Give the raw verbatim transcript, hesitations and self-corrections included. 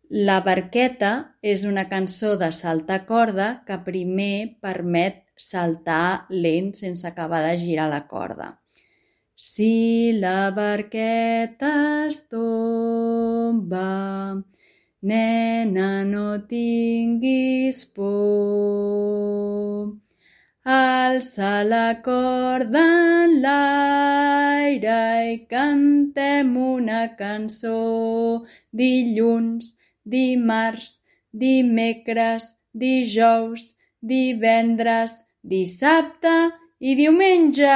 La barqueta és una cançó de saltar corda que primer permet saltar lent sense acabar de girar la corda. Si la barqueta es tomba, nena, no tinguis por. Alça la corda en l'aire i cantem una cançó. Dilluns, dimarts, dimecres, dijous, divendres, dissabte i diumenge!